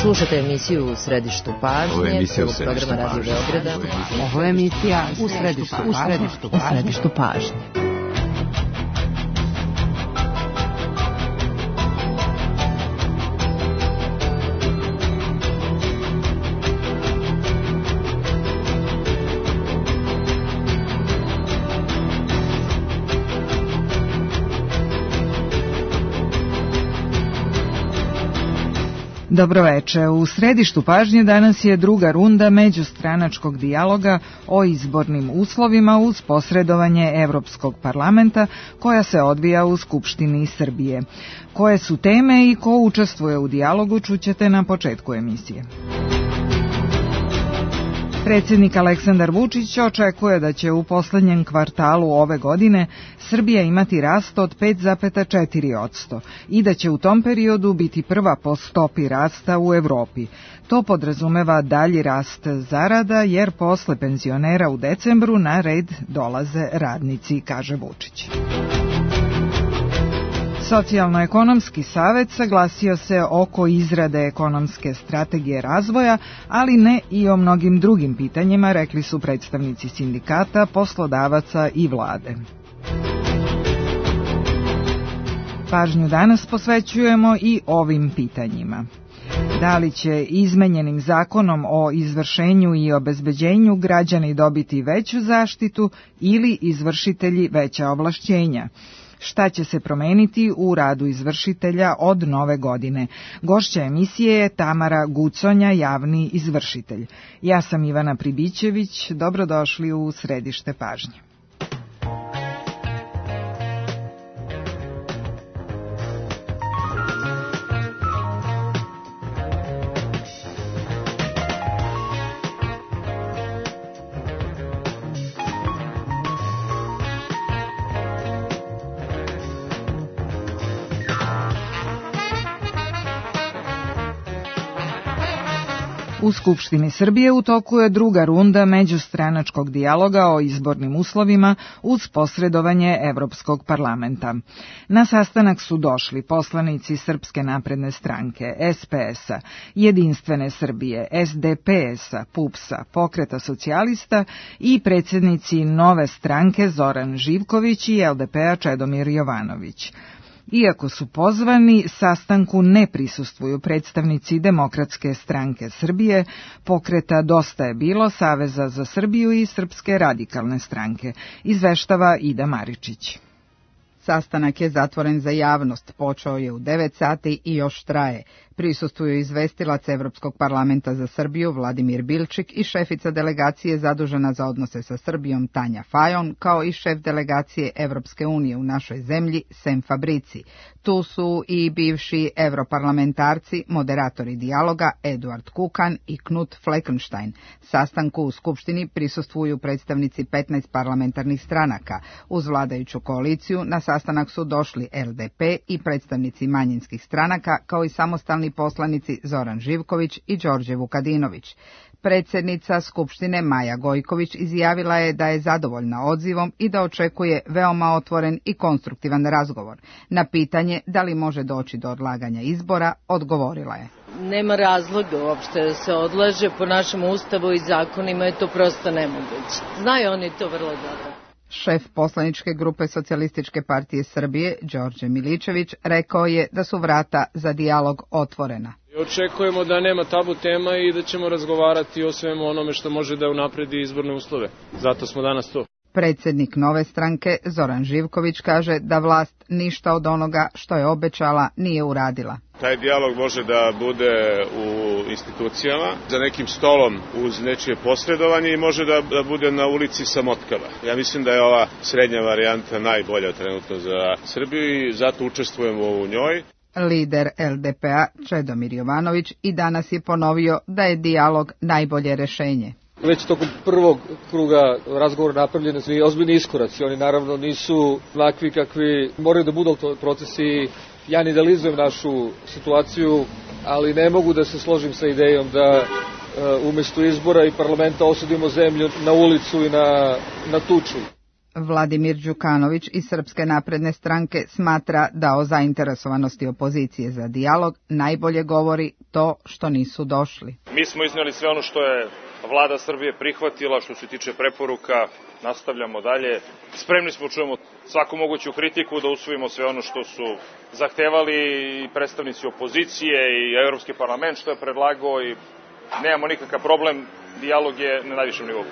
Slušate emisiju U središtu pažnje, celog programa Radio Beograda. Ovo je emisija U središtu pažnje. Dobroveče. U središtu pažnje danas je druga runda međustranačkog dijaloga o izbornim uslovima uz posredovanje Evropskog parlamenta koja se odvija u Skupštini Srbije. Koje su teme i ko učestvuje u dijalogu čućete na početku emisije. Predsjednik Aleksandar Vučić očekuje da će u poslednjem kvartalu ove godine Srbija imati rast od 5,4% i da će u tom periodu biti prva po stopi rasta u Evropi. To podrazumeva dalji rast zarada jer posle penzionera u decembru na red dolaze radnici, kaže Vučić. Socijalno-ekonomski savet saglasio se oko izrade ekonomske strategije razvoja, ali ne i o mnogim drugim pitanjima, rekli su predstavnici sindikata, poslodavaca i vlade. Pažnju danas posvećujemo i ovim pitanjima. Da li će izmenjenim zakonom o izvršenju i obezbeđenju građani dobiti veću zaštitu ili izvršitelji veća ovlašćenja? Šta će se promeniti u radu izvršitelja od nove godine? Gošća emisije je Tamara Guconja, javni izvršitelj. Ja sam Ivana Pribićević, dobrodošli u središte pažnje. U Skupštini Srbije u toku je druga runda međustranačkog dijaloga o izbornim uslovima uz posredovanje Evropskog parlamenta. Na sastanak su došli poslanici Srpske napredne stranke, SPS-a, Jedinstvene Srbije, SDPS-a, PUPS-a, Pokreta socijalista i predsjednici Nove stranke Zoran Živković i LDP-a Čedomir Jovanović. Iako su pozvani, sastanku ne prisustvuju predstavnici Demokratske stranke Srbije, Pokreta Dosta je bilo, Saveza za Srbiju i Srpske radikalne stranke, izveštava Ida Maričić. Sastanak je zatvoren za javnost, počeo je u 9 sati i još traje. Prisustvuju izvestilac Evropskog parlamenta za Srbiju Vladimir Bilčik i šefica delegacije zadužena za odnose sa Srbijom Tanja Fajon, kao i šef delegacije Evropske unije u našoj zemlji Sem Fabrici. Tu su i bivši evroparlamentarci, moderatori dijaloga Eduard Kukan i Knut Fleckenstein. Sastanku u Skupštini prisustvuju predstavnici 15 parlamentarnih stranaka. Uz vladajuću koaliciju na sastanak su došli LDP i predstavnici manjinskih stranaka, kao i samostalni poslanici Zoran Živković i Đorđe Vukadinović. Predsjednica Skupštine Maja Gojković izjavila je da je zadovoljna odzivom i da očekuje veoma otvoren i konstruktivan razgovor. Na pitanje da li može doći do odlaganja izbora, odgovorila je: Nema razloga uopšte da se odlaže, po našem ustavu i zakonima je to prosto nemoguće. Znaju oni to vrlo dobro. Šef poslaničke grupe Socijalističke partije Srbije, Đorđe Miličević, rekao je da su vrata za dijalog otvorena. Očekujemo da nema tabu tema i da ćemo razgovarati o svemu onome što može da unapredi izborne uslove. Zato smo danas tu. Predsjednik Nove stranke, Zoran Živković, kaže da vlast ništa od onoga što je obećala nije uradila. Taj dijalog može da bude u institucijama, za nekim stolom uz nečije posredovanje i može da bude na ulici sa motkama. Ja mislim da je ova srednja varijanta najbolja trenutno za Srbiju i zato učestvujemo u njoj. Lider LDP-a Čedomir Jovanović i danas je ponovio da je dijalog najbolje rešenje. Već tokom prvog kruga razgovora napravljeni su i ozbiljni iskoraci. Oni naravno nisu onakvi kakvi moraju da budu procesi. Ja ne idealizujem našu situaciju, ali ne mogu da se složim sa idejom da umjesto izbora i parlamenta osudimo zemlju na ulicu i na tuču. Vladimir Đukanović iz Srpske napredne stranke smatra da o zainteresovanosti opozicije za dijalog najbolje govori to što nisu došli. Mi smo iznijeli sve ono što je Vlada Srbije prihvatila, što se tiče preporuka, nastavljamo dalje. Spremni smo čujemo svaku moguću kritiku, da usvojimo sve ono što su zahtevali i predstavnici opozicije i Evropski parlament što je predlagao i nemamo nikakav problem, dijalog je na najvišem nivou.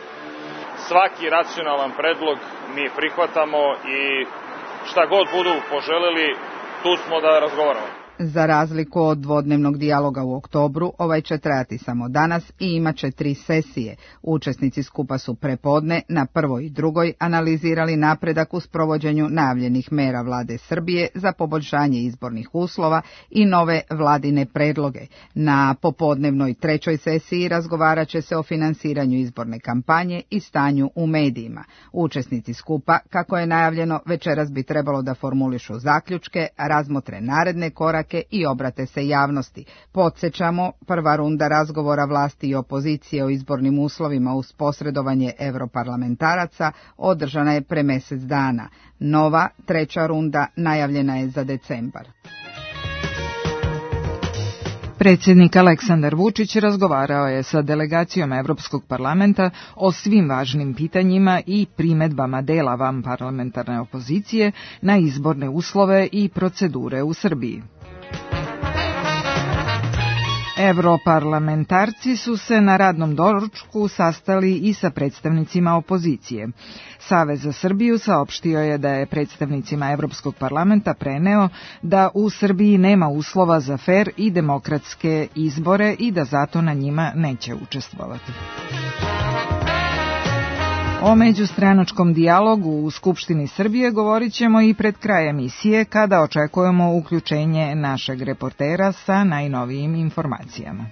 Svaki racionalan predlog mi prihvatamo i šta god budu poželeli, tu smo da razgovaramo. Za razliku od dvodnevnog dijaloga u oktobru, ovaj će trajati samo danas i imaće 3 sesije. Učesnici skupa su prepodne na prvoj i drugoj analizirali napredak u sprovođenju najavljenih mera vlade Srbije za poboljšanje izbornih uslova i nove vladine predloge. Na popodnevnoj 3. sesiji razgovarat će se o finansiranju izborne kampanje i stanju u medijima. Učesnici skupa, kako je najavljeno, večeras bi trebalo da formulišu zaključke, razmotre naredne korake i obrate se javnosti. Podsjećamo, prva runda razgovora vlasti i opozicije o izbornim uslovima uz posredovanje europarlamentaraca održana je pre mjesec dana. Nova, 3. runda najavljena je za decembar. Predsjednik Aleksandar Vučić razgovarao je sa delegacijom Evropskog parlamenta o svim važnim pitanjima i primedbama dela vanparlamentarne opozicije na izborne uslove i procedure u Srbiji. Evroparlamentarci su se na radnom doručku sastali i sa predstavnicima opozicije. Savez za Srbiju saopštio je da je predstavnicima Evropskog parlamenta preneo da u Srbiji nema uslova za fer i demokratske izbore i da zato na njima neće učestvovati. O međustranačkom dijalogu u Skupštini Srbije govorit ćemo i pred kraj emisije kada očekujemo uključenje našeg reportera sa najnovijim informacijama.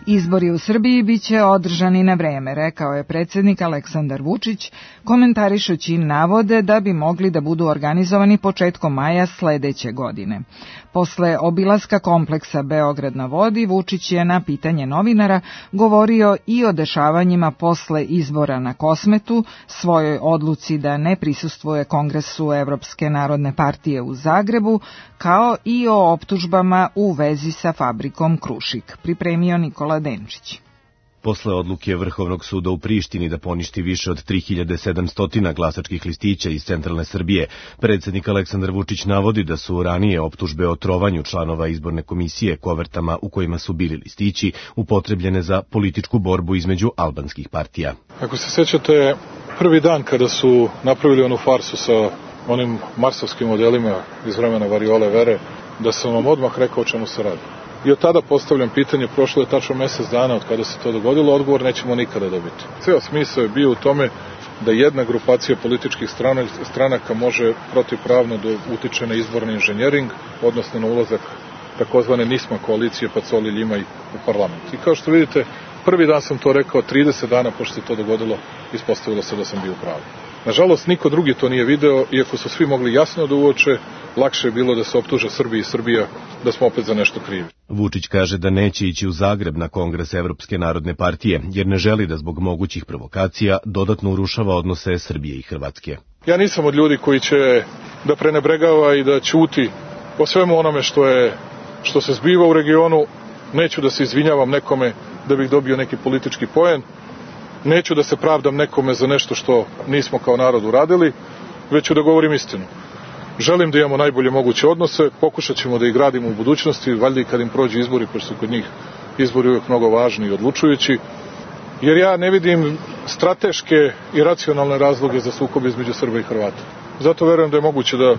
Izbori u Srbiji biće održani na vreme, rekao je predsjednik Aleksandar Vučić, komentarišući navode da bi mogli da budu organizovani početkom maja sledeće godine. Posle obilaska kompleksa Beograd na vodi, Vučić je na pitanje novinara govorio i o dešavanjima posle izbora na Kosmetu, svojoj odluci da ne prisustvuje Kongresu Evropske narodne partije u Zagrebu, kao i o optužbama u vezi sa fabrikom Krušik, pripremio Nikola Denčić. Posle odluke Vrhovnog suda u Prištini da poništi više od 3700 glasačkih listića iz centralne Srbije, predsjednik Aleksandar Vučić navodi da su ranije optužbe o trovanju članova izborne komisije kovertama u kojima su bili listići upotrebljene za političku borbu između albanskih partija. Ako se sećate, prvi dan kada su napravili onu farsu sa onim marsovskim modelima iz vremena Variole Vere, da sam vam odmah rekao o čemu se radi. I od tada postavljam pitanje, prošlo je tačno mjesec dana od kada se to dogodilo, odgovor nećemo nikada dobiti. Ceo smisao je bio u tome da jedna grupacija političkih stranaka može protivpravno da utiče na izborni inženjering, odnosno na ulazak takozvane NISMA koalicije Pacoli Ljimaj u parlament. I kao što vidite, prvi dan sam to rekao, 30 dana pošto se to dogodilo, ispostavilo se da sam bio u pravu. Nažalost, niko drugi to nije video, iako su svi mogli jasno da uoče, lakše je bilo da se optuže Srbija i Srbija da smo opet za nešto krivi. Vučić kaže da neće ići u Zagreb na Kongres Evropske narodne partije, jer ne želi da zbog mogućih provokacija dodatno urušava odnose Srbije i Hrvatske. Ja nisam od ljudi koji će da prenebregava i da ćuti o svemu onome što se zbiva u regionu. Neću da se izvinjavam nekome da bih dobio neki politički poen. Neću da se pravdam nekome za nešto što nismo kao narod uradili, već ću da govorim istinu. Želim da imamo najbolje moguće odnose, pokušat ćemo da ih gradimo u budućnosti, valjda i kad im prođe izbori, pošto su kod njih izbori uvijek mnogo važni i odlučujući, jer ja ne vidim strateške i racionalne razloge za sukob između Srba i Hrvata. Zato verujem da je moguće da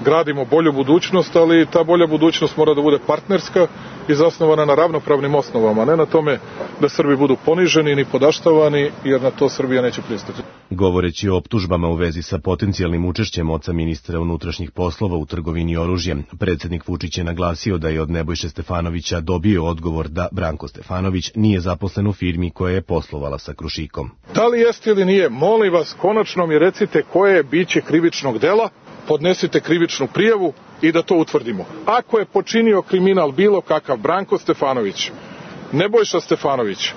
gradimo bolju budućnost, ali ta bolja budućnost mora da bude partnerska i zasnovana na ravnopravnim osnovama, a ne na tome da Srbi budu poniženi ni podaštavani, jer na to Srbija neće pristati. Govoreći o optužbama u vezi sa potencijalnim učešćem oca ministra unutrašnjih poslova u trgovini oružjem, predsjednik Vučić je naglasio da je od Nebojše Stefanovića dobio odgovor da Branko Stefanović nije zaposlen u firmi koja je poslovala sa Krušikom. Da li jeste ili nije, molim vas, konačno mi recite koje je biće krivičnog dela, podnesite krivičnu prijavu i da to utvrdimo. Ako je počinio kriminal bilo kakav Branko Stefanović, Nebojša Stefanović,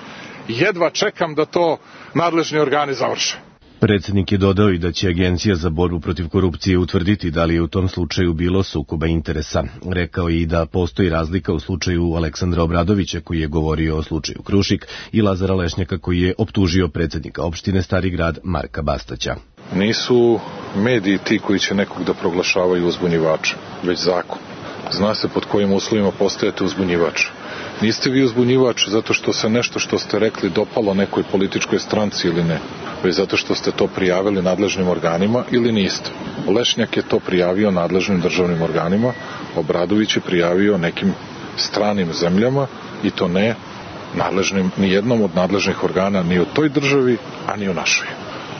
jedva čekam da to nadležni organi završe. Predsjednik je dodao i da će Agencija za borbu protiv korupcije utvrditi da li je u tom slučaju bilo sukoba interesa. Rekao je i da postoji razlika u slučaju Aleksandra Obradovića koji je govorio o slučaju Krušik i Lazara Lešnjaka koji je optužio predsjednika opštine Stari Grad Marka Bastaća. Nisu mediji ti koji će nekog da proglašavaju uzbunjivača, već zakon. Zna se pod kojim uslovima postajete uzbunjivač. Niste vi uzbunjivač zato što se nešto što ste rekli dopalo nekoj političkoj stranci ili ne, već zato što ste to prijavili nadležnim organima ili niste. Lešnjak je to prijavio nadležnim državnim organima, Obradović je prijavio nekim stranim zemljama i to ne nadležnim, ni jednom od nadležnih organa ni u toj državi, a ni u našoj.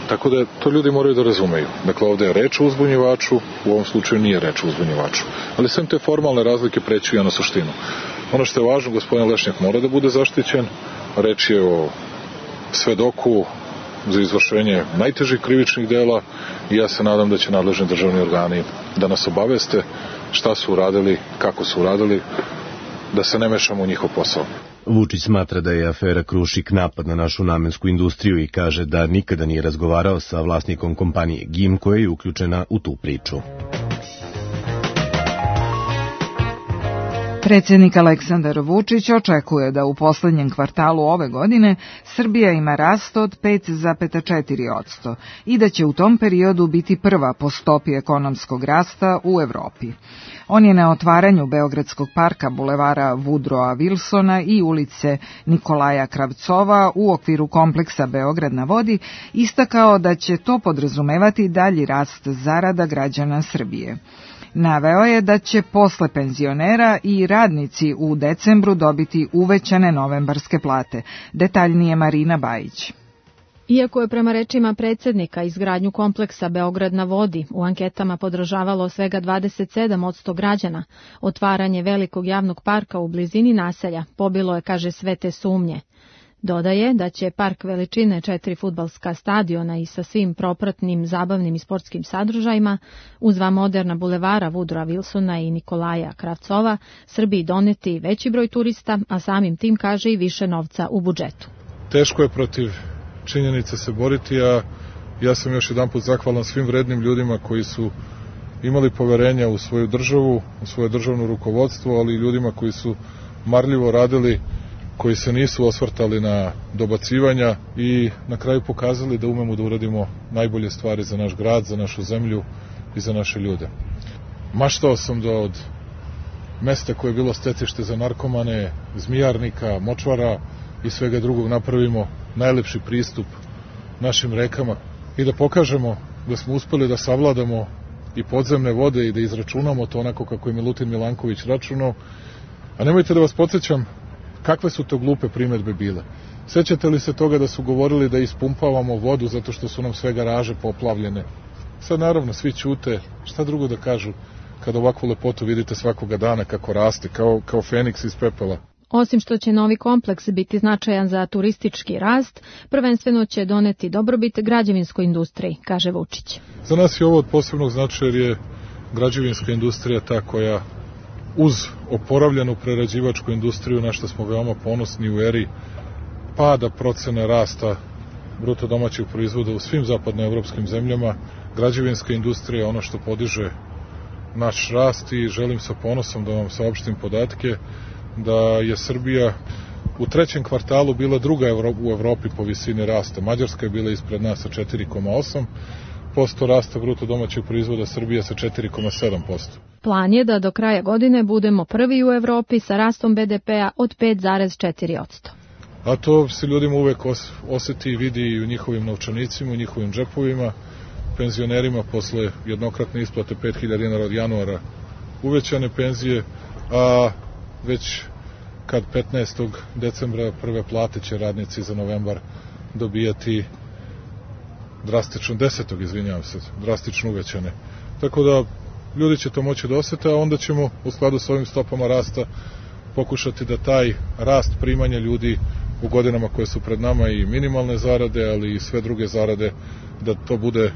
Tako da to ljudi moraju da razumeju. Dakle, ovde je reč o uzbunjivaču, u ovom slučaju nije reč o uzbunjivaču. Ali sem te formalne razlike preći ja na suštinu. Ono što je važno, gospodin Lešnjak mora da bude zaštićen. Reč je o svedoku za izvršenje najtežih krivičnih dela i ja se nadam da će nadležni državni organi da nas obaveste šta su uradili, kako su uradili, da se ne mešamo u njihov posao. Vučić smatra da je afera Krušik napad na našu namensku industriju i kaže da nikada nije razgovarao sa vlasnikom kompanije GIM koja je uključena u tu priču. Predsjednik Aleksandar Vučić očekuje da u poslednjem kvartalu ove godine Srbija ima rast od 5,4% i da će u tom periodu biti prva po stopi ekonomskog rasta u Evropi. On je na otvaranju Beogradskog parka bulevara Woodrowa Wilsona i ulice Nikolaja Kravcova u okviru kompleksa Beograd na vodi istakao da će to podrazumevati dalji rast zarada građana Srbije. Naveo je da će posle penzionera i radnici u decembru dobiti uvećane novembarske plate. Detaljnije Marina Bajić. Iako je prema rečima predsjednika izgradnju kompleksa Beograd na vodi u anketama podržavalo svega 27% građana, otvaranje velikog javnog parka u blizini naselja pobilo je, kaže, sve te sumnje. Dodaje da će park veličine 4 fudbalska stadiona i sa svim propratnim zabavnim i sportskim sadržajima, uz dva moderna bulevara Woodrowa Wilsona i Nikolaja Kravcova, Srbiji doneti veći broj turista, a samim tim, kaže, i više novca u budžetu. Teško je protiv činjenica se boriti, a ja sam još jedanput zahvalan svim vrednim ljudima koji su imali poverenja u svoju državu, u svoje državno rukovodstvo, ali i ljudima koji su marljivo radili, koji se nisu osvrtali na dobacivanja i na kraju pokazali da umemo da uradimo najbolje stvari za naš grad, za našu zemlju i za naše ljude. Maštao sam da od mesta koje je bilo stecište za narkomane, zmijarnika, močvara i svega drugog napravimo najlepši pristup našim rekama i da pokažemo da smo uspeli da savladamo i podzemne vode i da izračunamo to onako kako je Milutin Milanković računao. A nemojte da vas podsjećam kakve su to glupe primedbe bile. Sećate li se toga da su govorili da ispumpavamo vodu zato što su nam sve garaže poplavljene? Sad naravno svi ćute, šta drugo da kažu kad ovakvu lepotu vidite svakoga dana kako raste, kao feniks iz pepela. Osim što će novi kompleks biti značajan za turistički rast, prvenstveno će doneti dobrobit građevinskoj industriji, kaže Vučić. Za nas je ovo od posebnog značaja jer je građevinska industrija ta koja uz oporavljenu prerađivačku industriju, na što smo veoma ponosni u eri pada procena rasta bruto domaćeg proizvoda u svim zapadnoevropskim zemljama, građevinska industrija je ono što podiže naš rast i želim sa ponosom da vam saopštim podatke da je Srbija u trećem kvartalu bila druga u Evropi po visini rasta. Mađarska je bila ispred nas sa 4,8% rasta bruto domaćeg proizvoda, Srbija sa 4,7%. Plan je da do kraja godine budemo prvi u Evropi sa rastom BDP-a od 5,4%. A to se ljudima uvek oseti i vidi i u njihovim novčanicima, u njihovim džepovima, penzionerima posle jednokratne isplate 5.000 dinara od januara uvećane penzije, a već kad 15. decembra prve plate će radnici za novembar dobijati drastično uvećane. Tako da ljudi će to moći da osete, a onda ćemo u skladu s ovim stopama rasta pokušati da taj rast primanja ljudi u godinama koje su pred nama i minimalne zarade, ali i sve druge zarade, da to bude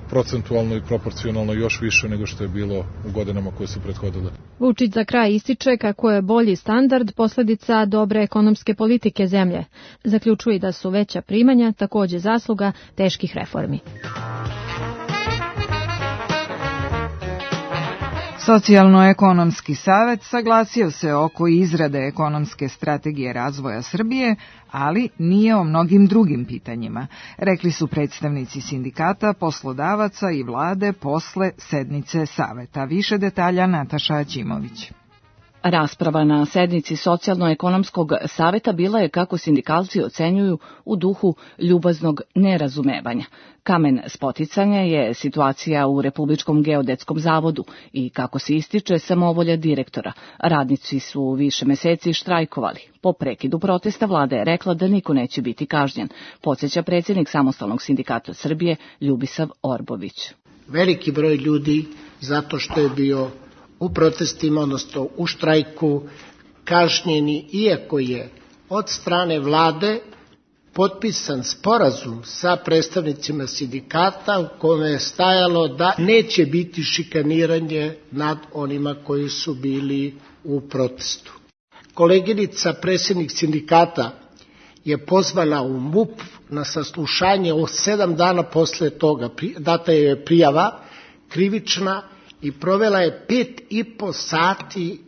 procentualno i proporcionalno još više nego što je bilo u godinama koje su prethodile. Vučić za kraj ističe kako je bolji standard posledica dobre ekonomske politike zemlje. Zaključuje da su veća primanja takođe zasluga teških reformi. Socijalno-ekonomski savet saglasio se oko izrade ekonomske strategije razvoja Srbije, ali nije o mnogim drugim pitanjima, rekli su predstavnici sindikata, poslodavaca i vlade posle sednice saveta. Više detalja Nataša Aćimović. Rasprava na sednici Socijalno-ekonomskog saveta bila je, kako sindikalci ocenjuju, u duhu ljubaznog nerazumevanja. Kamen spoticanja je situacija u Republičkom geodetskom zavodu i, kako se ističe, samovolja direktora. Radnici su više meseci štrajkovali. Po prekidu protesta vlada je rekla da niko neće biti kažnjen, podsjeća predsjednik Samostalnog sindikata Srbije Ljubisav Orbović. Veliki broj ljudi, zato što je bio u protestima, odnosno u štrajku, kažnjeni, iako je od strane vlade potpisan sporazum sa predstavnicima sindikata u kome je stajalo da neće biti šikaniranje nad onima koji su bili u protestu. Koleginica, predsjednik sindikata, je pozvana u MUP na saslušanje 7 dana posle toga. Data je prijava krivična i provela je 5,5 sati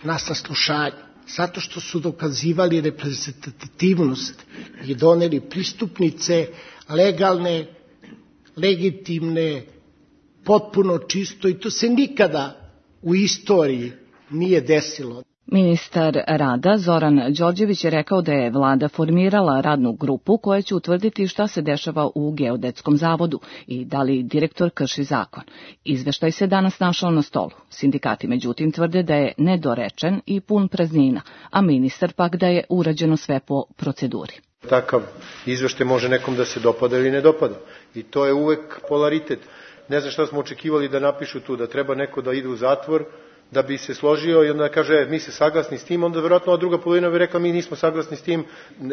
na saslušanju, zato što su dokazivali reprezentativnost i doneli pristupnice legalne, legitimne, potpuno čisto, i to se nikada u istoriji nije desilo. Ministar rada Zoran Đorđević je rekao da je vlada formirala radnu grupu koja će utvrditi šta se dešava u Geodetskom zavodu i da li direktor krši zakon. Izveštaj se danas našao na stolu. Sindikati međutim tvrde da je nedorečen i pun praznina, a ministar pak da je urađeno sve po proceduri. Takav izveštaj može nekom da se dopada ili ne dopada i to je uvek polaritet. Ne znam šta smo očekivali da napišu tu, da treba neko da ide u zatvor, da bi se složio i onda kaže mi se saglasni s tim, onda verovatno druga polovina bi rekla mi nismo saglasni s tim.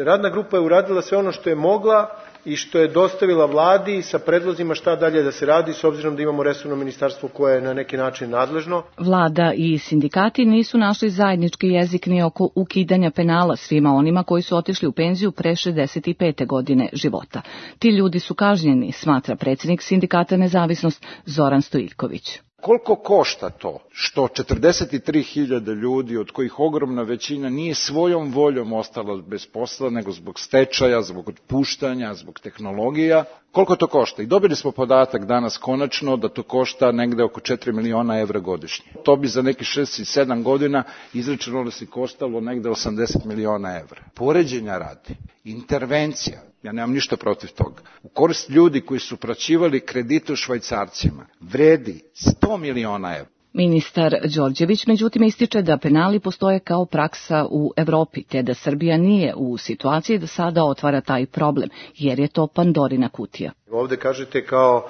Radna grupa je uradila sve ono što je mogla i što je dostavila vladi sa predlozima šta dalje da se radi, s obzirom da imamo resorno ministarstvo koje je na neki način nadležno. Vlada i sindikati nisu našli zajednički jezik ni oko ukidanja penala svima onima koji su otišli u penziju pre 65. godine života. Ti ljudi su kažnjeni, smatra predsjednik sindikata Nezavisnost Zoran Stojiljković. Koliko košta to što 43.000 ljudi, od kojih ogromna većina nije svojom voljom ostala bez posla, nego zbog stečaja, zbog otpuštanja, zbog tehnologija, koliko to košta? I dobili smo podatak danas konačno da to košta negde oko 4 miliona evra godišnje. To bi za neki 6 i 7 godina izračunalo se koštalo negde 80 miliona evra. Poređenja radi, intervencija, ja nemam ništa protiv toga, u korist ljudi koji su praćivali kredite u švajcarcima, vredi 100 miliona evra. Ministar Đorđević međutim ističe da penali postoje kao praksa u Evropi, te da Srbija nije u situaciji da sada otvara taj problem, jer je to Pandorina kutija. Ovde kažete kao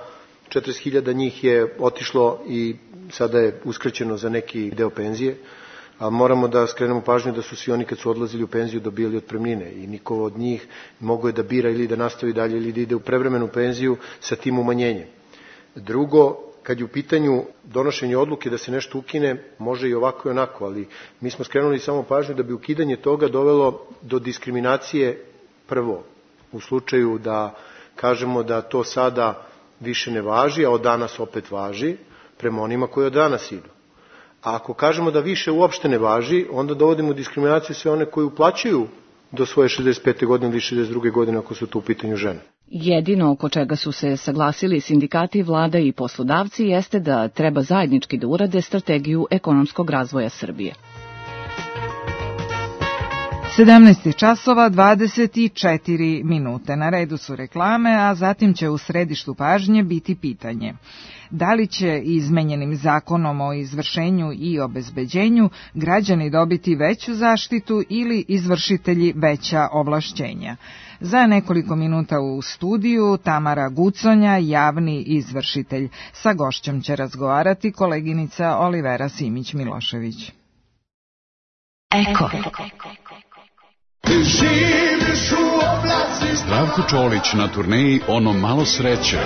40.000 njih je otišlo i sada je uskraćeno za neki deo penzije, a moramo da skrenemo pažnju da su svi oni kad su odlazili u penziju dobili otpremnine i niko od njih mogo je da bira ili da nastavi dalje ili da ide u prevremenu penziju sa tim umanjenjem. Drugo, kad je u pitanju donošenje odluke da se nešto ukine, može i ovako i onako, ali mi smo skrenuli samo pažnju da bi ukidanje toga dovelo do diskriminacije prvo, u slučaju da kažemo da to sada više ne važi, a od danas opet važi, prema onima koji od danas idu. A ako kažemo da više uopšte ne važi, onda dovodimo u diskriminaciju sve one koji uplaćuju do svoje 65. godine ili 62. godine ako su to u pitanju žene. Jedino oko čega su se saglasili sindikati, vlada i poslodavci jeste da treba zajednički da urade strategiju ekonomskog razvoja Srbije. 17 časova 24 minute. Na redu su reklame, a zatim će u središtu pažnje biti pitanje: da li će izmenjenim zakonom o izvršenju i obezbeđenju građani dobiti veću zaštitu ili izvršitelji veća ovlašćenja? Za nekoliko minuta u studiju Tamara Guconja, javni izvršitelj. Sa gošćom će razgovarati koleginica Olivera Simić-Milošević. Eko. Zdravko Čolić na turneji Ono malo sreće.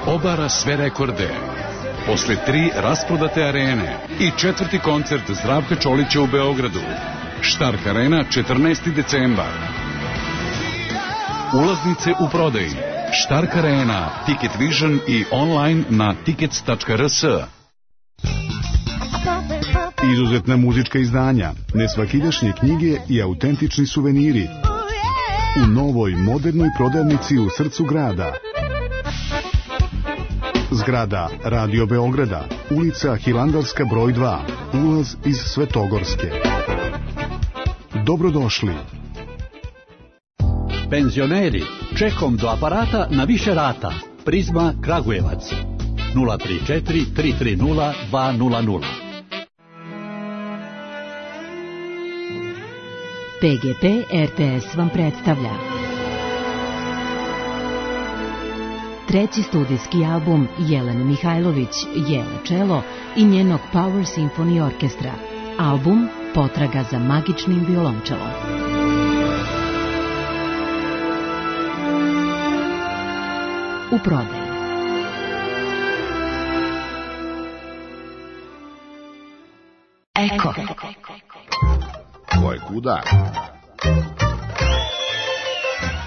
obara sve rekorde. Posle 3 rasprodate arene i 4. koncert Zdravka Čolića u Beogradu. Štark arena 14. decembar. Ulaznice u prodaji. Štark arena, Ticket Vision i online na tickets.rs. Izuzetna muzička izdanja, nesvakidašnje knjige i autentični suveniri u novoj modernoj prodavnici u srcu grada. Zgrada Radio Beograda, ulica Hilandarska broj 2, ulaz iz Svetogorske. Dobrodošli. Penzioneri, čekom do aparata na više rata. Prizma Kragujevac 034 330 200. PGP RTS vam predstavlja treći studijski album Jelene Mihajlović, Jele Čelo i njenog Power Symphony Orkestra. Album Potraga za magičnim violončelom. U prodaji. Eko. Ko je kuda?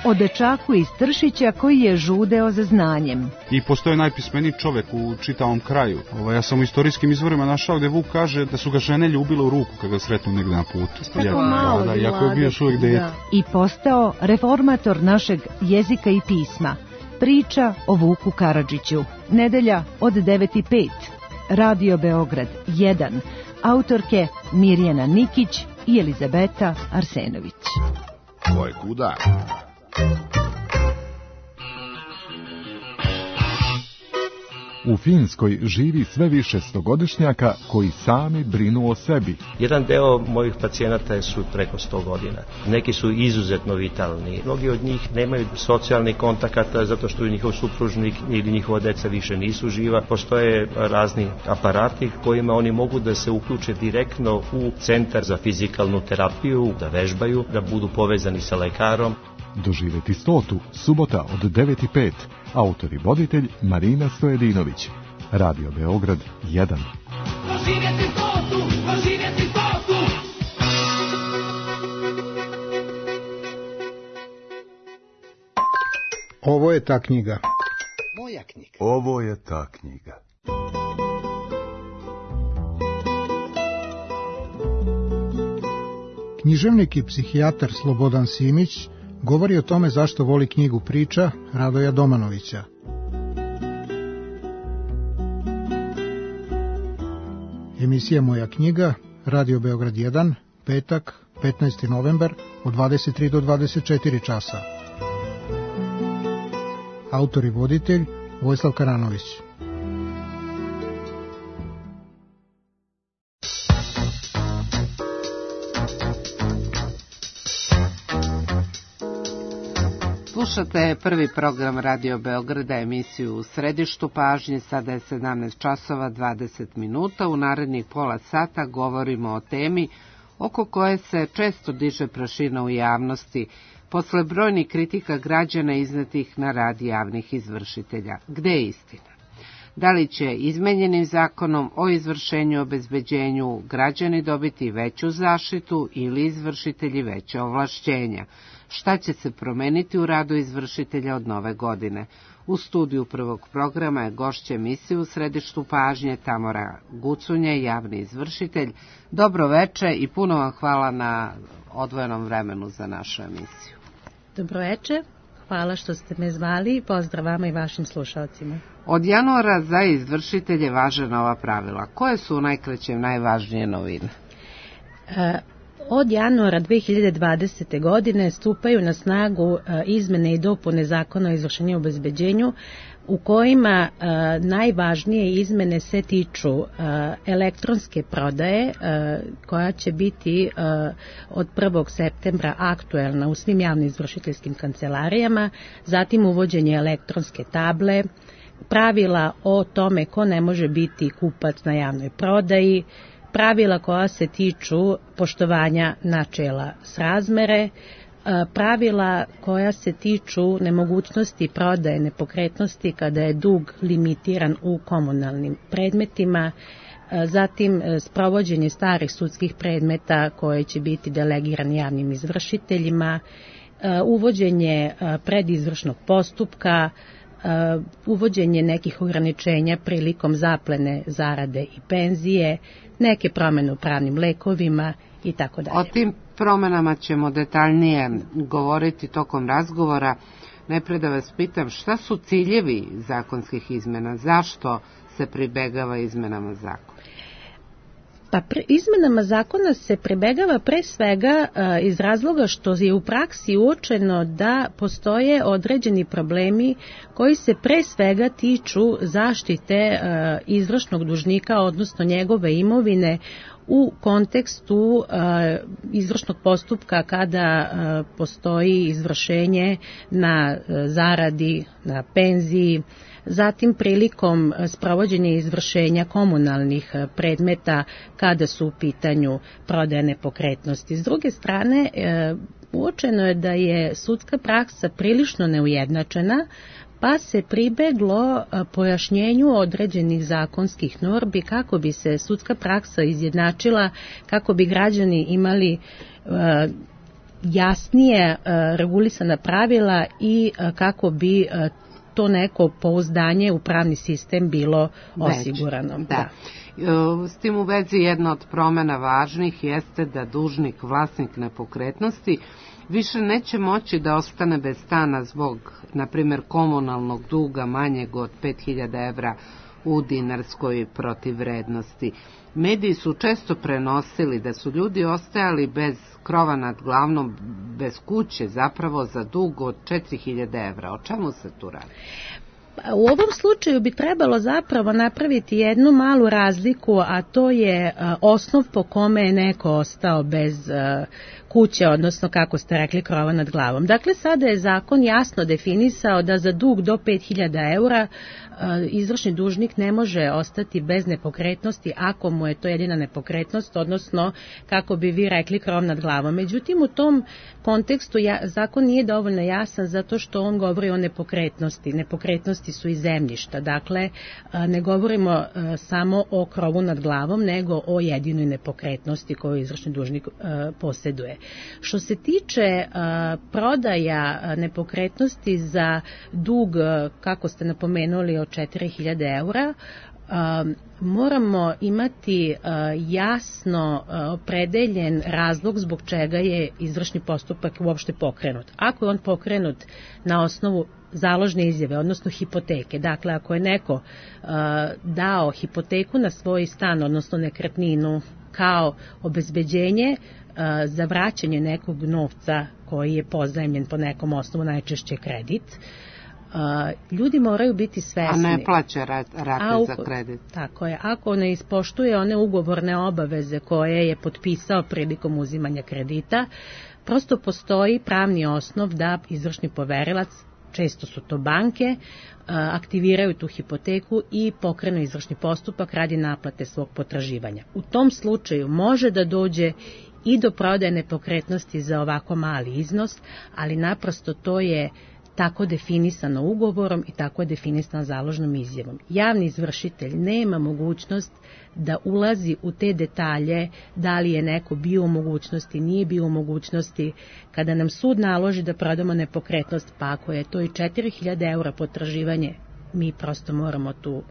O dečaku iz Tršića koji je žudeo za znanjem. I postoje najpismeniji čovek u čitavom kraju. Ja sam u istorijskim izvorima našao gde Vuk kaže da su ga žene ljubile u ruku kada ga sretnu negde na putu. Tako malo da, jako je bio još uvijek dete. I postao reformator našeg jezika i pisma. Priča o Vuku Karadžiću. Nedelja od 9:05. Radio Beograd 1. Autorke Mirjana Nikić i Elizabeta Arsenović. Ko je kuda? U Finskoj živi sve više stogodišnjaka koji sami brinu o sebi. Jedan deo mojih pacijenata su preko 100 godina. Neki su izuzetno vitalni. Mnogi od njih nemaju socijalnih kontakata zato što njihov supružnik ili njihova deca više nisu živa. Postoje razni aparati kojima oni mogu da se uključe direktno u centar za fizikalnu terapiju, da vežbaju, da budu povezani sa lekarom. Doživeti 100. subota od 9:05. Autor i voditelj Marina Stojedinović. Radio Beograd 1. Doživeti 100. Doživeti 100. Ovo je ta knjiga. Moja knjiga. Ovo je ta knjiga. Književnik i psihijatar Slobodan Simić govori o tome zašto voli knjigu priča Radoja Domanovića. Emisija Moja knjiga, Radio Beograd 1, petak, 15. novembar, od 23 do 24 časa. Autor i voditelj Vojislav Karanović. Slušate prvi program Radio Beograda, emisiju U središtu pažnje. Sada je 17 časova 20 minuta. U narednih pola sata govorimo o temi oko koje se često diže prašina u javnosti posle brojnih kritika građana iznetih na rad javnih izvršitelja. Gde je istina? Da li će izmenjenim zakonom o izvršenju i obezbeđenju građani dobiti veću zaštitu ili izvršitelji veće ovlašćenja? Šta će se promeniti u radu izvršitelja od nove godine? U studiju prvog programa je gošća emisije U središtu pažnje Tamara Gucunje, javni izvršitelj. Dobro veče i puno vam hvala na odvojenom vremenu za našu emisiju. Dobro veče, hvala što ste me zvali i pozdrav vama i vašim slušalcima. Od januara za izvršitelje važe nova pravila. Koje su u najkraćem najvažnije novine? Od januara 2020. godine stupaju na snagu izmene i dopune Zakona o izvršenju i obezbeđenju, u kojima najvažnije izmene se tiču elektronske prodaje, koja će biti od 1. septembra aktuelna u svim javnim izvršiteljskim kancelarijama, zatim uvođenje elektronske table, pravila o tome ko ne može biti kupac na javnoj prodaji, pravila koja se tiču poštovanja načela srazmere, pravila koja se tiču nemogućnosti prodaje nepokretnosti kada je dug limitiran u komunalnim predmetima, zatim sprovođenje starih sudskih predmeta koje će biti delegirani javnim izvršiteljima, uvođenje predizvršnog postupka, uvođenje nekih ograničenja prilikom zaplene zarade i penzije, neke promene u pravnim lekovima i tako dalje. O tim promenama ćemo detaljnije govoriti tokom razgovora. Najpre da vas pitam, šta su ciljevi zakonskih izmena? Zašto se pribegava izmenama zakona? Pa izmenama zakona se pribegava pre svega iz razloga što je u praksi uočeno da postoje određeni problemi koji se pre svega tiču zaštite izvršnog dužnika, odnosno njegove imovine u kontekstu izvršnog postupka kada postoji izvršenje na zaradi, na penziji, zatim prilikom sprovođenja izvršenja komunalnih predmeta kada su u pitanju prodaje nepokretnosti. S druge strane, uočeno je da je sudska praksa prilično neujednačena, pa se pribeglo pojašnjenju određenih zakonskih normi kako bi se sudska praksa izjednačila, kako bi građani imali jasnije regulisana pravila i kako bi to neko pouzdanje u pravni sistem bilo osigurano. Da. S tim u vezi jedna od promena važnih jeste da dužnik, vlasnik nepokretnosti, više neće moći da ostane bez stana zbog, na primjer, komunalnog duga manjeg od 5000 evra u dinarskoj protivvrednosti. Mediji su često prenosili da su ljudi ostajali bez krova nad glavom, bez kuće, zapravo za dug od 4000 evra. O čemu se tu radi? U ovom slučaju bi trebalo zapravo napraviti jednu malu razliku, a to je osnov po kome je neko ostao bez kuće, odnosno kako ste rekli krova nad glavom. Dakle, sada je zakon jasno definisao da za dug do 5000 eura izvršni dužnik ne može ostati bez nepokretnosti ako mu je to jedina nepokretnost, odnosno kako bi vi rekli krov nad glavom. Međutim, u tom kontekstu zakon nije dovoljno jasan zato što on govori o nepokretnosti. Nepokretnosti su i zemljišta, dakle ne govorimo samo o krovu nad glavom, nego o jedinoj nepokretnosti koju izvršni dužnik posjeduje. Što se tiče prodaja nepokretnosti za dug, kako ste napomenuli, od 4000 eura, moramo imati jasno opredeljen razlog zbog čega je izvršni postupak uopšte pokrenut. Ako je on pokrenut na osnovu založne izjave, odnosno hipoteke, dakle ako je neko dao hipoteku na svoj stan, odnosno nekretninu kao obezbeđenje za vraćanje nekog novca koji je pozajmljen po nekom osnovu, najčešće kredit, ljudi moraju biti svesni. A ne plaća rate za kredit. Tako je. Ako ne ispoštuje one ugovorne obaveze koje je potpisao prilikom uzimanja kredita, prosto postoji pravni osnov da izvršni poverilac, često su to banke, aktiviraju tu hipoteku i pokrenu izvršni postupak radi naplate svog potraživanja. U tom slučaju može da dođe i do prodaje nepokretnosti za ovako mali iznos, ali naprosto to je tako definisano ugovorom i tako je definisano založnom izjavom. Javni izvršitelj nema mogućnost da ulazi u te detalje, da li je neko bio u mogućnosti, nije bio u mogućnosti. Kada nam sud naloži da prodamo nepokretnost, pa ako je to i 4000 eura potraživanje, mi prosto moramo tu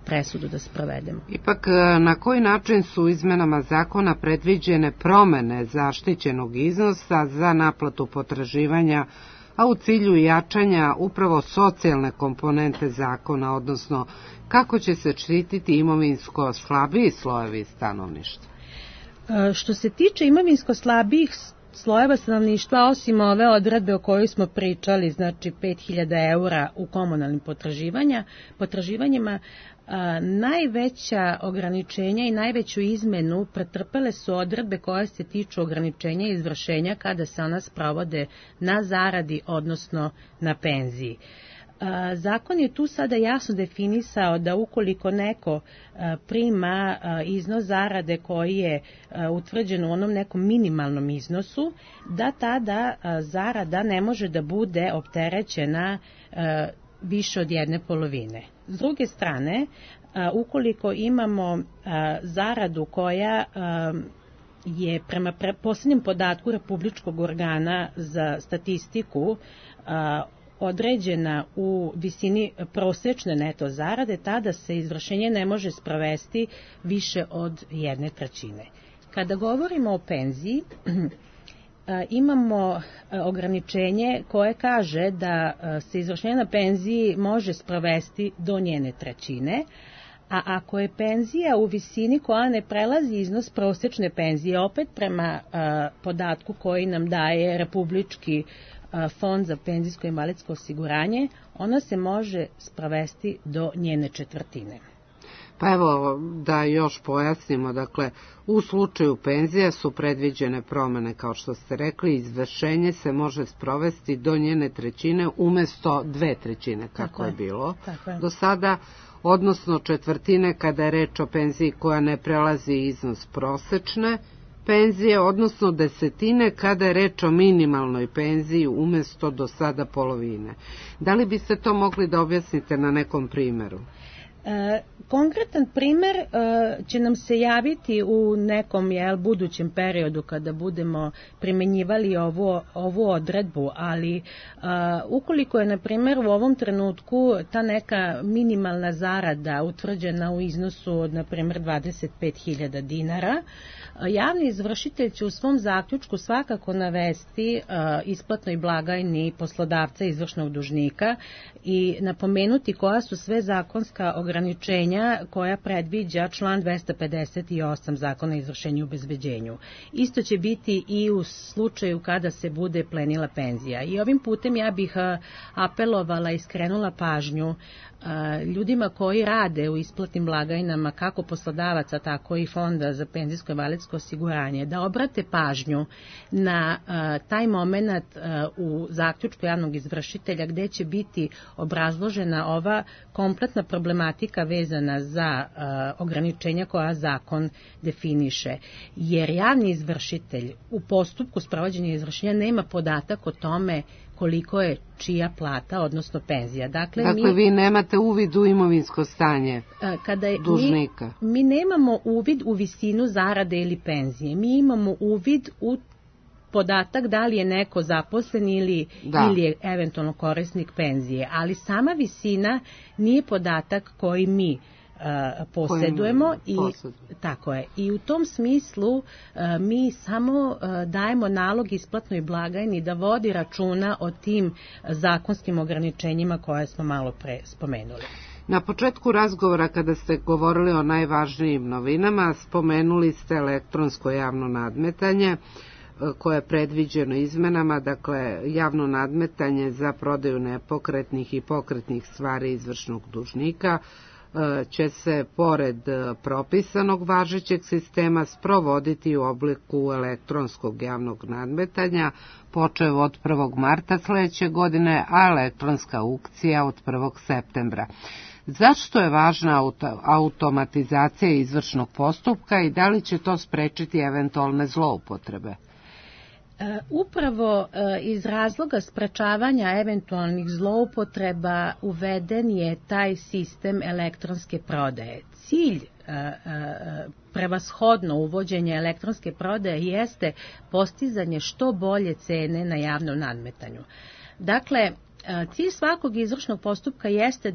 presudu da sprovedemo. Ipak, na koji način su izmenama zakona predviđene promene zaštićenog iznosa za naplatu potraživanja, a u cilju jačanja upravo socijalne komponente zakona, odnosno kako će se štititi imovinsko slabiji slojevi stanovništva? Što se tiče imovinsko slabijih slojeva stanovništva, osim ove odredbe o kojoj smo pričali, znači 5000 eura u komunalnim potraživanjima, najveća ograničenja i najveću izmenu pretrpele su odredbe koje se tiču ograničenja i izvršenja kada se ona sprovode na zaradi, odnosno na penziji. Zakon je tu sada jasno definisao da ukoliko neko prima iznos zarade koji je utvrđen u onom nekom minimalnom iznosu, da tada zarada ne može da bude opterećena više od 1/2. S druge strane, ukoliko imamo zaradu koja je prema posljednjem podatku Republičkog organa za statistiku određena u visini prosječne neto zarade, tada se izvršenje ne može sprovesti više od 1/3. Kada govorimo o penziji, imamo ograničenje koje kaže da se izvršenje na penziji može sprovesti do 1/3, a ako je penzija u visini koja ne prelazi iznos prosječne penzije, opet prema podatku koji nam daje Republički fond za penzijsko i invalidsko osiguranje, ona se može sprovesti do 1/4. Pa evo da još pojasnimo, dakle u slučaju penzija su predviđene promene, kao što ste rekli, izvršenje se može sprovesti do 1/3 umjesto 2/3 kako je bilo do sada, odnosno 1/4 kada je reč o penziji koja ne prelazi iznos prosečne penzije, odnosno 1/10 kada je reč o minimalnoj penziji umjesto do sada polovine. Da li biste to mogli da objasnite na nekom primjeru? Konkretan primer će nam se javiti u nekom budućem periodu kada budemo primenjivali ovu odredbu, ali ukoliko je na primjer u ovom trenutku ta neka minimalna zarada utvrđena u iznosu od na primjer 25.000 dinara, javni izvršitelj će u svom zaključku svakako navesti isplatnoj blagajni poslodavca izvršnog dužnika i napomenuti koja su sve zakonska ograničenja koja predviđa član 258 Zakona o izvršenju i obezbeđenju. Isto će biti i u slučaju kada se bude plenila penzija. I ovim putem ja bih apelovala i skrenula pažnju ljudima koji rade u isplatnim blagajnama, kako poslodavaca, tako i Fonda za penzijsko i invalidsko osiguranje, da obrate pažnju na taj moment u zaključku javnog izvršitelja gde će biti obrazložena ova kompletna problematika vezana za ograničenja koja zakon definiše. Jer javni izvršitelj u postupku sprovođenja izvršenja nema podatak o tome koliko je čija plata, odnosno penzija. Dakle vi nemate uvid u imovinsko stanje dužnika. Mi nemamo uvid u visinu zarade ili penzije. Mi imamo uvid u podatak da li je neko zaposlen ili je eventualno korisnik penzije, ali sama visina nije podatak koji mi posjedujemo i u tom smislu mi samo dajemo nalog isplatnoj blagajni da vodi računa o tim zakonskim ograničenjima koje smo malo pre spomenuli. Na početku razgovora kada ste govorili o najvažnijim novinama, spomenuli ste elektronsko javno nadmetanje koje je predviđeno izmenama, dakle javno nadmetanje za prodaju nepokretnih i pokretnih stvari izvršnog dužnika će se pored propisanog važećeg sistema sprovoditi u obliku elektronskog javnog nadmetanja počev od 1. marta sledeće godine, a elektronska aukcija od 1. septembra. Zašto je važna automatizacija izvršnog postupka i da li će to sprečiti eventualne zloupotrebe? Upravo iz razloga sprečavanja eventualnih zloupotreba uveden je taj sistem elektronske prodaje. Cilj prevashodno uvođenja elektronske prodaje jeste postizanje što bolje cene na javnom nadmetanju. Dakle, cilj svakog izvršnog postupka jeste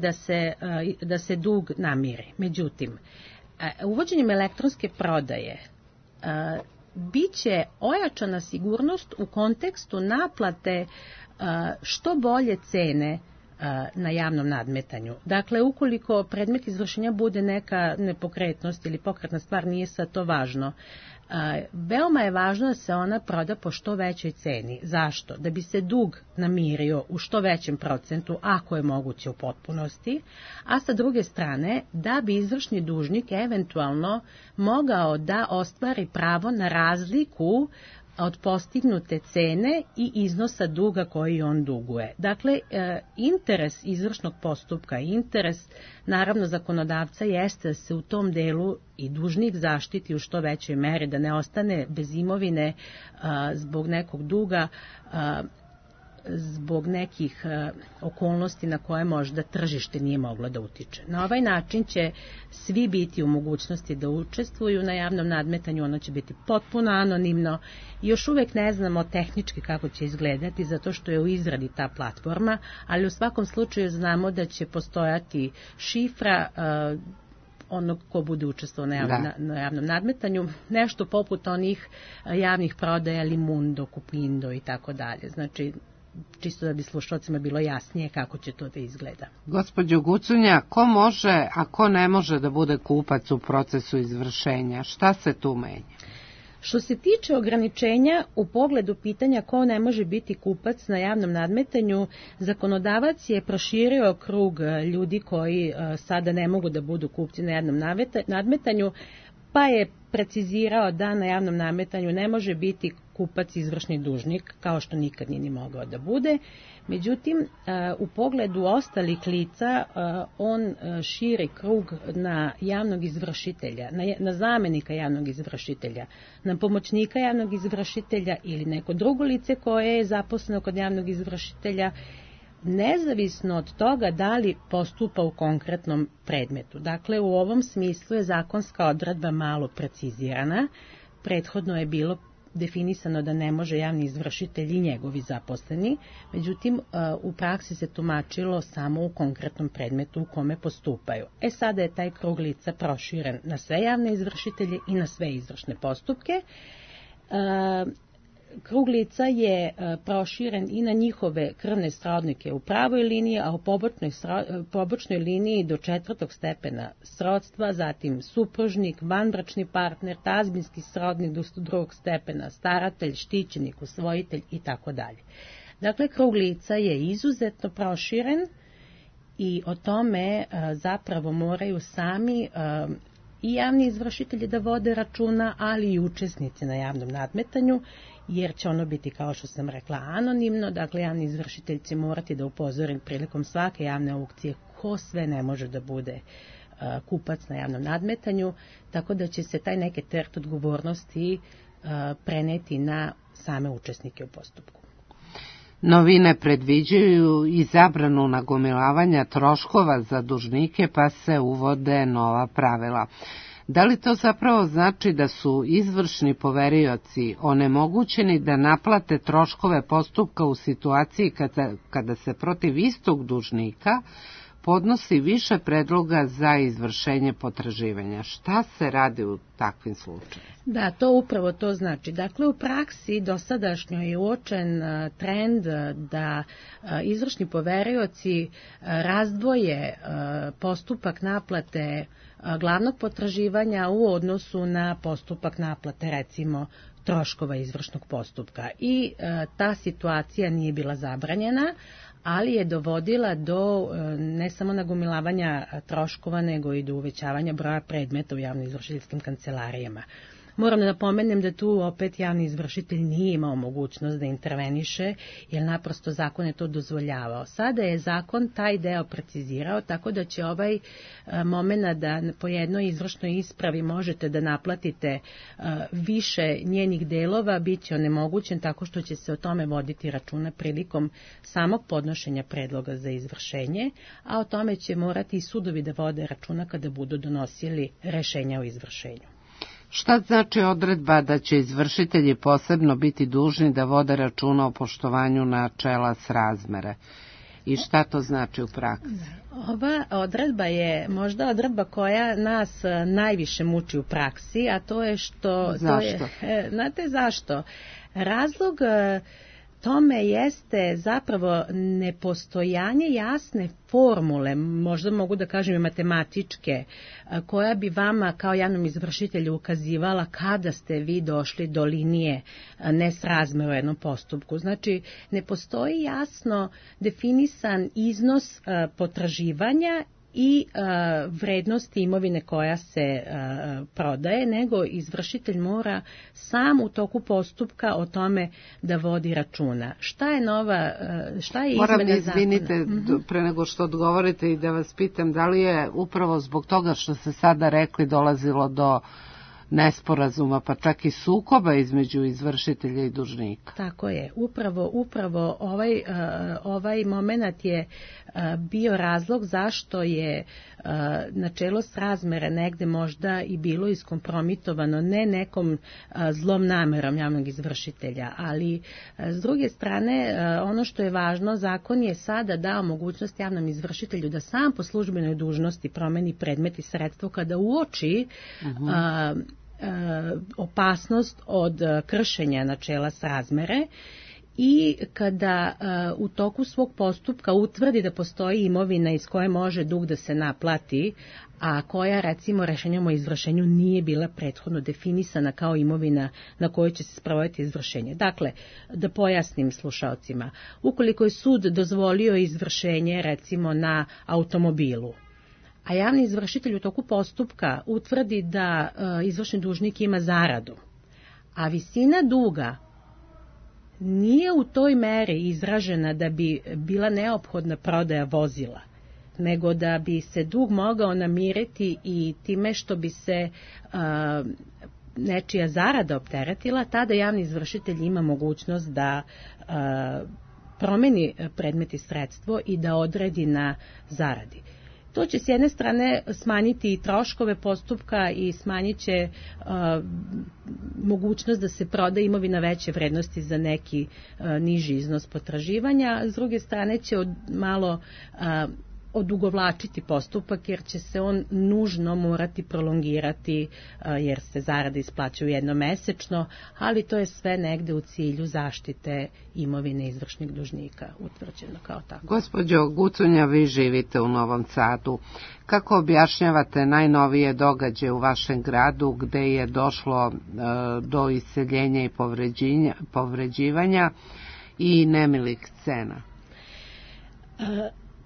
da se dug namiri. Međutim, uvođenjem elektronske prodaje biće ojačana sigurnost u kontekstu naplate što bolje cene na javnom nadmetanju. Dakle, ukoliko predmet izvršenja bude neka nepokretnost ili pokretna stvar, nije sad to važno. Veoma je važno da se ona proda po što većoj ceni. Zašto? Da bi se dug namirio u što većem procentu, ako je moguće u potpunosti, a sa druge strane da bi izvršni dužnik eventualno mogao da ostvari pravo na razliku od postignute cene i iznosa duga koji on duguje. Dakle, interes izvršnog postupka, interes naravno zakonodavca jeste da se u tom delu i dužnik zaštiti u što većoj meri, da ne ostane bez imovine zbog nekog duga, zbog nekih okolnosti na koje možda tržište nije moglo da utiče. Na ovaj način će svi biti u mogućnosti da učestvuju na javnom nadmetanju, ono će biti potpuno anonimno i još uvek ne znamo tehnički kako će izgledati, zato što je u izradi ta platforma, ali u svakom slučaju znamo da će postojati šifra onog ko bude učestvovao na javnom nadmetanju, nešto poput onih javnih prodaja Limundo, Kupindo i tako dalje. Znači, čisto da bi slušalcima bilo jasnije kako će to da izgleda. Gospođo Gucunja, ko može, a ko ne može da bude kupac u procesu izvršenja? Šta se tu menja? Što se tiče ograničenja u pogledu pitanja ko ne može biti kupac na javnom nadmetanju, zakonodavac je proširio krug ljudi koji sada ne mogu da budu kupci na javnom nadmetanju, pa je precizirao da na javnom nadmetanju ne može biti kupac izvršni dužnik, kao što nikad nije ni mogao da bude. Međutim, u pogledu ostalih lica, on širi krug na javnog izvršitelja, na zamenika javnog izvršitelja, na pomoćnika javnog izvršitelja ili neko drugo lice koje je zaposleno kod javnog izvršitelja, nezavisno od toga da li postupa u konkretnom predmetu. Dakle, u ovom smislu je zakonska odredba malo precizirana. Prethodno je bilo definisano da ne može javni izvršitelj i njegovi zaposleni, međutim u praksi se tumačilo samo u konkretnom predmetu u kome postupaju. Sada je taj krug lica proširen na sve javne izvršitelje i na sve izvršne postupke. Krug lica je proširen i na njihove krvne srodnike u pravoj liniji, a u pobočnoj liniji do 4. stepena srodstva, zatim supružnik, vanbračni partner, tazbinski srodnik do 2. stepena, staratelj, štićenik, usvojitelj i tako dalje. Dakle, krug lica je izuzetno proširen i o tome zapravo moraju sami i javni izvršitelji da vode računa, ali i učesnici na javnom nadmetanju, jer će ono biti, kao što sam rekla, anonimno. Dakle, javni izvršitelj će morati da upozori prilikom svake javne aukcije ko sve ne može da bude kupac na javnom nadmetanju, tako da će se taj neki teret odgovornosti preneti na same učesnike u postupku. Novine predviđaju i zabranu nagomilavanja troškova za dužnike, pa se uvode nova pravila. Da li to zapravo znači da su izvršni poverioci onemogućeni da naplate troškove postupka u situaciji kada se protiv istog dužnika podnosi više predloga za izvršenje potraživanja? Šta se radi u takvim slučajima? Da, to upravo to znači. Dakle, u praksi dosadašnjo je uočen trend da izvršni poverioci razdvoje postupak naplate glavnog potraživanja u odnosu na postupak naplate, recimo, troškova izvršnog postupka. I ta situacija nije bila zabranjena, ali je dovodila do ne samo nagomilavanja troškova, nego i do uvećavanja broja predmeta u javno-izvršiteljskim kancelarijama. Moram da napomenem da tu opet javni izvršitelj nije imao mogućnost da interveniše, jer naprosto zakon je to dozvoljavao. Sada je zakon taj deo precizirao, tako da će ovaj moment da po jednoj izvršnoj ispravi možete da naplatite više njenih delova biti onemogućen, tako što će se o tome voditi računa prilikom samog podnošenja predloga za izvršenje, a o tome će morati i sudovi da vode računa kada budu donosili rešenja o izvršenju. Šta znači odredba da će izvršitelji posebno biti dužni da vode računa o poštovanju načela srazmere? I šta to znači u praksi? Ova odredba je možda odredba koja nas najviše muči u praksi, a to je što... Zašto? Znate zašto? Razlog tome jeste zapravo nepostojanje jasne formule, možda mogu da kažem i matematičke, koja bi vama kao javnom izvršitelju ukazivala kada ste vi došli do linije nesrazmere u jednom postupku. Znači, ne postoji jasno definisan iznos potraživanja i vrednosti imovine koja se prodaje, nego izvršitelj mora sam u toku postupka o tome da vodi računa. Šta je izmena zakona? Izvinite, pre nego što odgovorite i da vas pitam, da li je upravo zbog toga što ste sada rekli dolazilo do nesporazuma, pa čak i sukoba između izvršitelja i dužnika? Tako je. Upravo ovaj moment je bio razlog zašto je načelo srazmere negde možda i bilo iskompromitovano, ne nekom zlom namerom javnog izvršitelja, ali s druge strane ono što je važno, zakon je sada dao mogućnost javnom izvršitelju da sam po službenoj dužnosti promeni predmet i sredstvo kada uoči opasnost od kršenja načela srazmere i kada u toku svog postupka utvrdi da postoji imovina iz koje može dug da se naplati, a koja recimo rešenjem o izvršenju nije bila prethodno definisana kao imovina na kojoj će se sprovoditi izvršenje. Dakle, da pojasnim slušaocima, ukoliko je sud dozvolio izvršenje recimo na automobilu, a javni izvršitelj u toku postupka utvrdi da izvršni dužnik ima zaradu, a visina duga nije u toj meri izražena da bi bila neophodna prodaja vozila, nego da bi se dug mogao namiriti i time što bi se nečija zarada opteretila, tada javni izvršitelj ima mogućnost da promeni predmet i sredstvo i da odredi na zaradi. To će s jedne strane smanjiti i troškove postupka i smanjit će mogućnost da se proda imovina veće vrednosti za neki niži iznos potraživanja, s druge strane će malo odugovlačiti postupak jer će se on nužno morati prolongirati jer se zarade isplaćuju jednomesečno, ali to je sve negde u cilju zaštite imovine izvršnih dužnika utvrđeno kao tako. Gospođo Gucunja, vi živite u Novom Sadu. Kako objašnjavate najnovije događaje u vašem gradu gde je došlo do iseljenja i povređivanja i nemilih scena?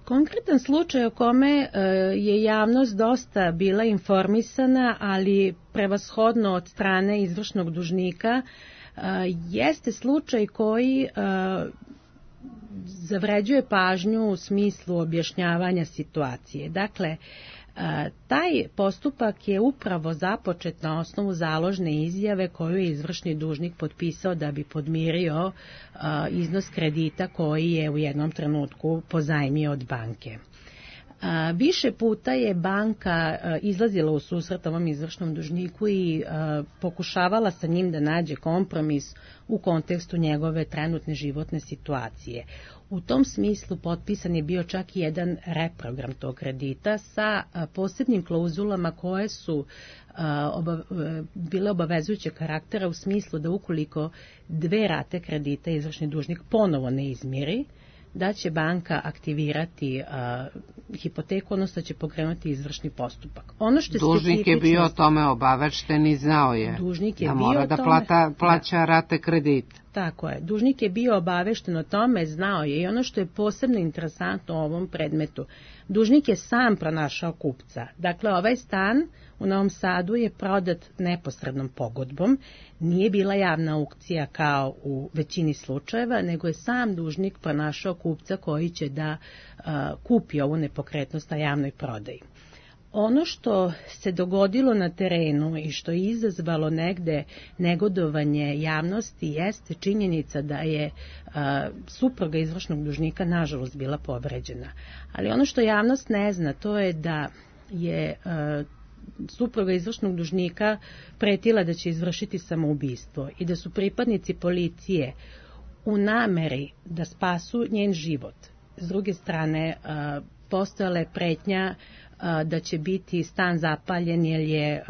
Konkretan slučaj o kome je javnost dosta bila informisana, ali prevashodno od strane izvršnog dužnika, jeste slučaj koji zavređuje pažnju u smislu objašnjavanja situacije. Dakle, taj postupak je upravo započet na osnovu založne izjave koju je izvršni dužnik potpisao da bi podmirio iznos kredita koji je u jednom trenutku pozajmio od banke. Više puta je banka izlazila u susret ovom izvršnom dužniku i pokušavala sa njim da nađe kompromis u kontekstu njegove trenutne životne situacije. U tom smislu potpisan je bio čak i jedan reprogram tog kredita sa posebnim klauzulama koje su bile obavezujuće karaktera u smislu da ukoliko 2 rate kredita izvršni dužnik ponovo ne izmiri, da će banka aktivirati hipoteku, odnosno će pokrenuti izvršni postupak. Dužnik je bio o tome obavešten i znao je da mora da plaća rate kredita. Tako je. Dužnik je bio obavešten o tome, znao je, i ono što je posebno interesantno u ovom predmetu, dužnik je sam pronašao kupca. Dakle, ovaj stan u Novom Sadu je prodat neposrednom pogodbom, nije bila javna aukcija kao u većini slučajeva, nego je sam dužnik pronašao kupca koji će da kupi ovu nepokretnost na javnoj prodaji. Ono što se dogodilo na terenu i što je izazvalo negde negodovanje javnosti jeste činjenica da je supruga izvršnog dužnika nažalost bila povređena. Ali ono što javnost ne zna, to je da je supruga izvršnog dužnika pretila da će izvršiti samoubistvo i da su pripadnici policije u nameri da spasu njen život. S druge strane, postojala je pretnja da će biti stan zapaljen jer je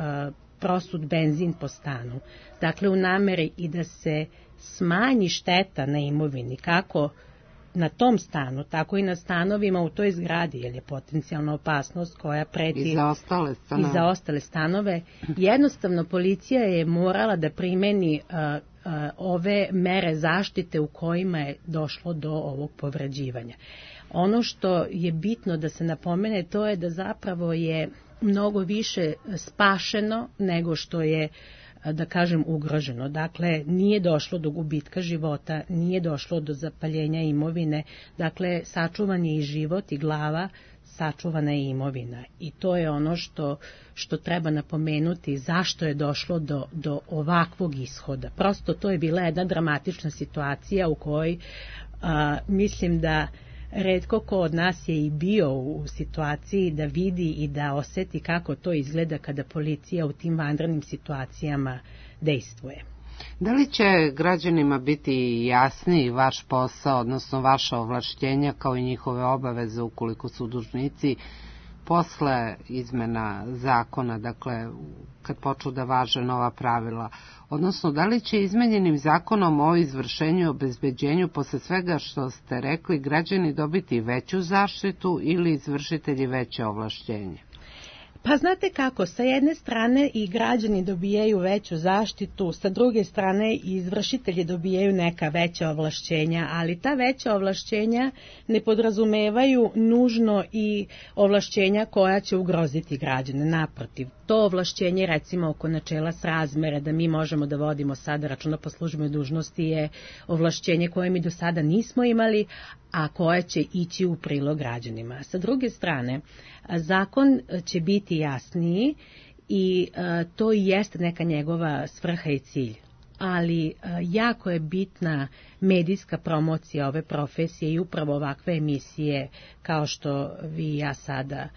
prosut benzin po stanu. Dakle, u nameri i da se smanji šteta na imovini, kako na tom stanu, tako i na stanovima u toj zgradi, jer je potencijalna opasnost koja preti i za ostale stanove. Jednostavno, policija je morala da primeni ove mere zaštite u kojima je došlo do ovog povređivanja. Ono što je bitno da se napomene, to je da zapravo je mnogo više spašeno nego što je, da kažem, ugroženo. Dakle, nije došlo do gubitka života, nije došlo do zapaljenja imovine, dakle, sačuvan je i život i glava, sačuvana je imovina. I to je ono što treba napomenuti, zašto je došlo do ovakvog ishoda. Prosto to je bila jedna dramatična situacija u kojoj mislim da retko ko od nas je i bio u situaciji da vidi i da oseti kako to izgleda kada policija u tim vanrednim situacijama dejstvuje. Da li će građanima biti jasniji vaš posao, odnosno vaša ovlašćenja kao i njihove obaveze ukoliko su dužnici posle izmena zakona, dakle kad počnu da važe nova pravila, odnosno da li će izmenjenim zakonom o izvršenju i obezbeđenju posle svega što ste rekli građani dobiti veću zaštitu ili izvršitelji veće ovlašćenje? Pa znate kako, sa jedne strane i građani dobijaju veću zaštitu, sa druge strane i izvršitelji dobijaju neka veća ovlašćenja, ali ta veća ovlašćenja ne podrazumevaju nužno i ovlašćenja koja će ugroziti građane. Naprotiv, to ovlašćenje, recimo oko načela srazmere, da mi možemo da vodimo sada računa po službenoj dužnosti, je ovlašćenje koje mi do sada nismo imali, a koje će ići u prilog građanima. Sa druge strane, zakon će biti jasniji i to i jeste neka njegova svrha i cilj. Ali jako je bitna medijska promocija ove profesije i upravo ovakve emisije kao što vi i ja sada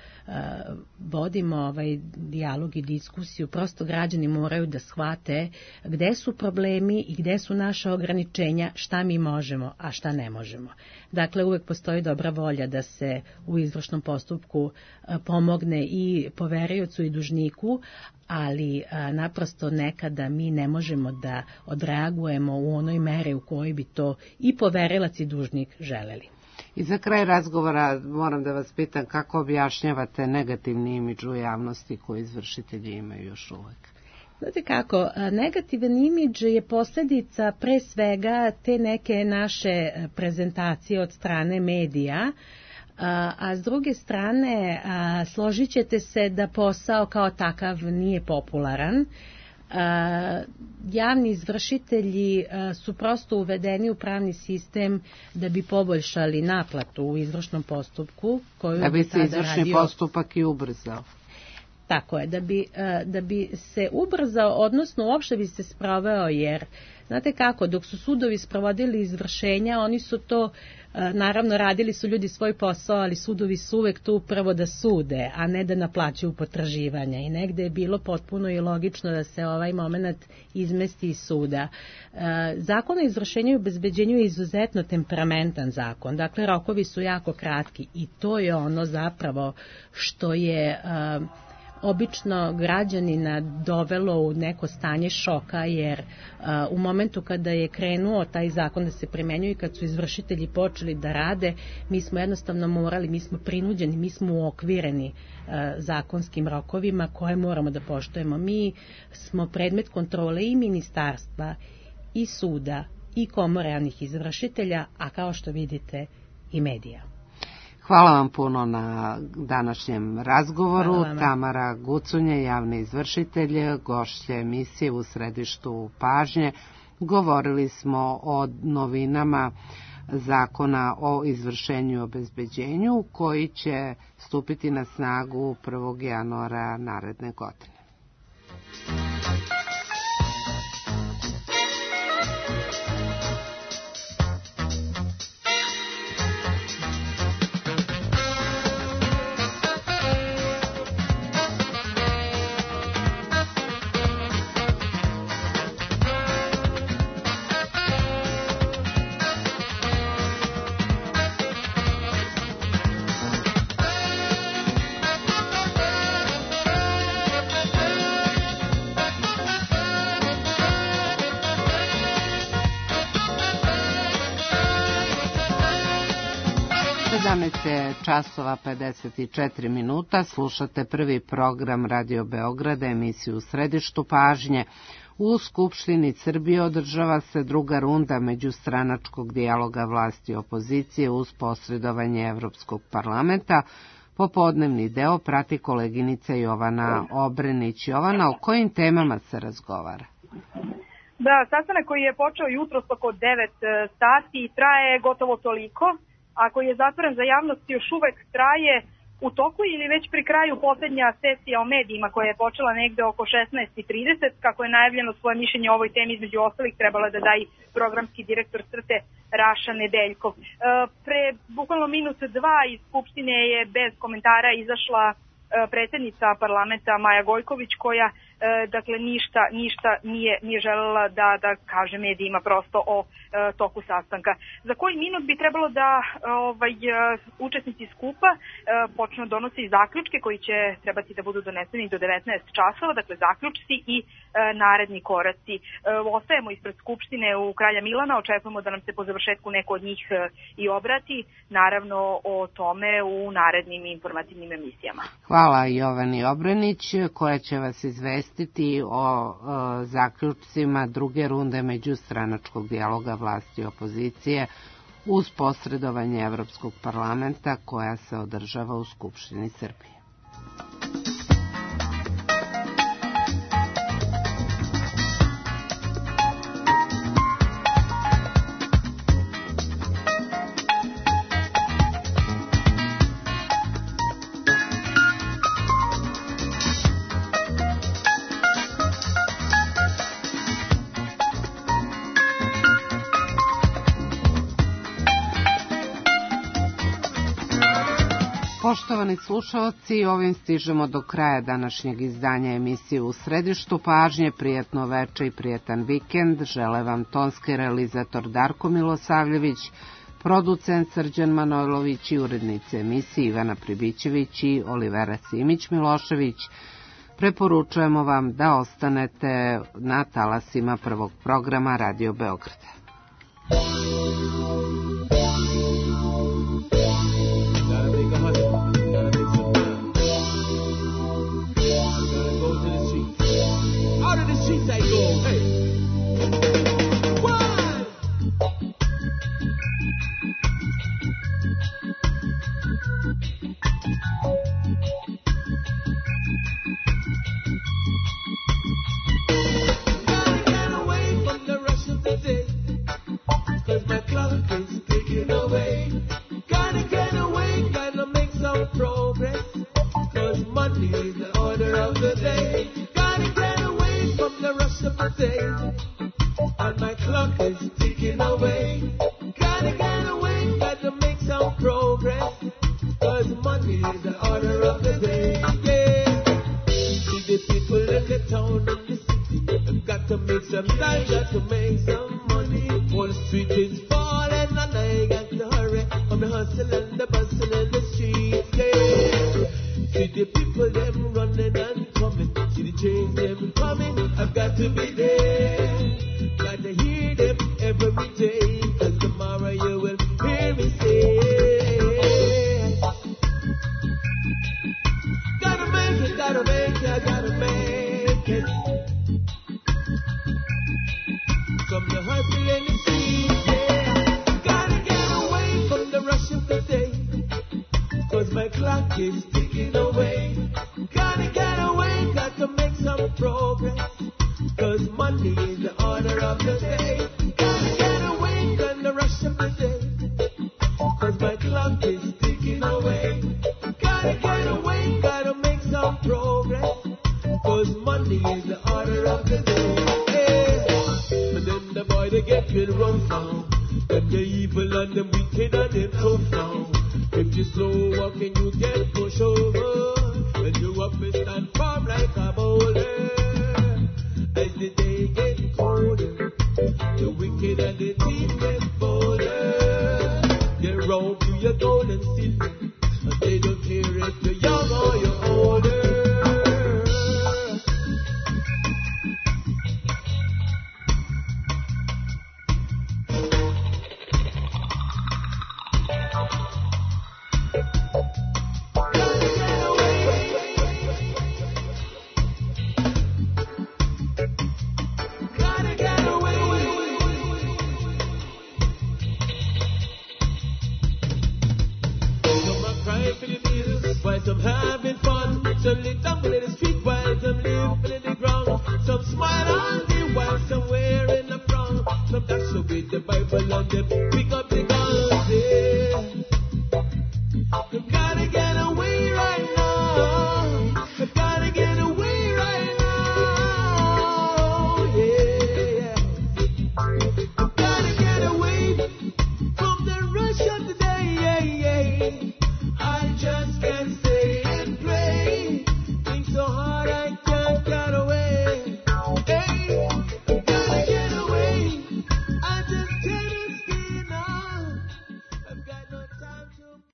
vodimo ovaj dijalog i diskusiju. Prosto građani moraju da shvate gde su problemi i gde su naša ograničenja, šta mi možemo, a šta ne možemo. Dakle, uvek postoji dobra volja da se u izvršnom postupku pomogne i poveriocu i dužniku, ali naprosto nekada mi ne možemo da odreagujemo u onoj meri u kojoj bi to i poverilac i dužnik želeli. I za kraj razgovora moram da vas pitam kako objašnjavate negativni imidž u javnosti koji izvršitelji imaju još uvek? Znate kako, negativan imidž je posljedica pre svega te neke naše prezentacije od strane medija, a s druge strane složit ćete se da posao kao takav nije popularan. Javni izvršitelji su prosto uvedeni u pravni sistem da bi poboljšali naplatu u izvršnom postupku. Da bi se izvršni postupak i ubrzao. Tako je, da bi se ubrzao, odnosno uopšte bi se sproveo, jer znate kako, dok su sudovi sprovodili izvršenja, oni su to, naravno radili su ljudi svoj posao, ali sudovi su uvek tu prvo da sude, a ne da naplaćuju potraživanja. I negde je bilo potpuno i logično da se ovaj moment izmesti iz suda. Zakon o izvršenju i obezbeđenju je izuzetno temperamentan zakon, dakle rokovi su jako kratki i to je ono zapravo što je obično građanina dovelo u neko stanje šoka, jer u momentu kada je krenuo taj zakon da se primenjuje i kad su izvršitelji počeli da rade, mi smo jednostavno morali, mi smo prinuđeni, mi smo uokvireni zakonskim rokovima koje moramo da poštujemo. Mi smo predmet kontrole i ministarstva, i suda, i komore javnih izvršitelja, a kao što vidite i medija. Hvala vam puno na današnjem razgovoru. Tamara Gucunje, javni izvršitelj, gošća emisije u središtu pažnje. Govorili smo o novinama zakona o izvršenju i obezbeđenju koji će stupiti na snagu 1. januara naredne godine. je časova 54 minuta, slušate prvi program Radio Beograda, emisiju U središtu pažnje. U Skupštini Srbije održava se druga runda međustranačkog dijaloga vlasti i opozicije uz posredovanje Evropskog parlamenta. Popodnevni deo prati koleginica Jovana Obrenić. Jovana, o kojim temama se razgovara? Da, sastanak koji je počeo jutros oko 9 sati traje gotovo toliko, a koji je zatvoren za javnost još uvek traje u toku ili već pri kraju posljednja sesija o medijima koja je počela negde oko 16:30, kako je najavljeno svoje mišljenje o ovoj temi, između ostalih trebala da da i programski direktor CRTE Raša Nedeljkov. Pre bukvalno minut dva iz Skupštine je bez komentara izašla predsjednica parlamenta Maja Gojković, koja dakle ništa nije želela da kaže medijima prosto o toku sastanka. Za koji minut bi trebalo da učesnici skupa počnu donositi zaključke koji će trebati da budu doneseni do 19 časova, dakle zaključci i naredni koraci. Ostajemo ispred Skupštine u Kralja Milana, očekujemo da nam se po završetku neko od njih i obrati, naravno o tome u narednim informativnim emisijama. Hvala Jovani Obrenić, koja će vas izvestiti o zaključcima druge runde međustranačkog dijaloga vlasti i opozicije uz posredovanje Evropskog parlamenta koja se održava u Skupštini Srbije. Poštovani slušalci, ovim stižemo do kraja današnjeg izdanja emisije U središtu pažnje. Prijatno veče i prijetan vikend. Žele vam tonski realizator Darko Milosavljević, producent Srđan Manojlović i urednice emisije Ivana Pribićević i Olivera Simić-Milošević. Preporučujemo vam da ostanete na talasima prvog programa Radio Beograda. I go, hey. One. Gotta get away from the rush of the day, 'cause my clock is ticking away. Gotta get away, gotta make some progress, 'cause Monday is the order of the day. Gotta get away from the rush of the day, and my clock is ticking away. Gotta get away, gotta make some progress, 'cause Monday is the order of the day. Yeah. See the people in the town and the city, I've got to make some time, got to make some money. Wall Street is falling and I got to hurry, I'm hustling the bustle in the streets. Yeah. See the people them running and coming, see the trains them coming, I've got to be there. Got to hear them every day, 'cause tomorrow you will hear me say, gotta make it, gotta make it, gotta make it. From the hustle in the streets, yeah. Gotta get away from the rush of the day, 'cause my clock is ticking away. Gotta get away, got to make some progress, 'cause Monday is the order of the day. Gotta get away from the rush of the day, 'cause my clock is ticking away. Gotta get away, gotta make some progress, 'cause Monday is the order of the day. Yeah. And then the boy they get good rough now, them the evil and them wicked and them tough now. If you slow walking, you get pushed over. When you up and stand firm like a boulder. As the day gets colder, the wicked and the thief get bolder. They rob you your gold and silver, and they don't care if you're young or you're older. for the bills. While some having fun, some lit down in the street while some living in the ground. Some smile on me while some wearing a frown. Some dash away the Bible and them pick up the guns, yeah. You gotta get away right now. You gotta get away right now, yeah. You gotta get away from the rush of the day, yeah, yeah.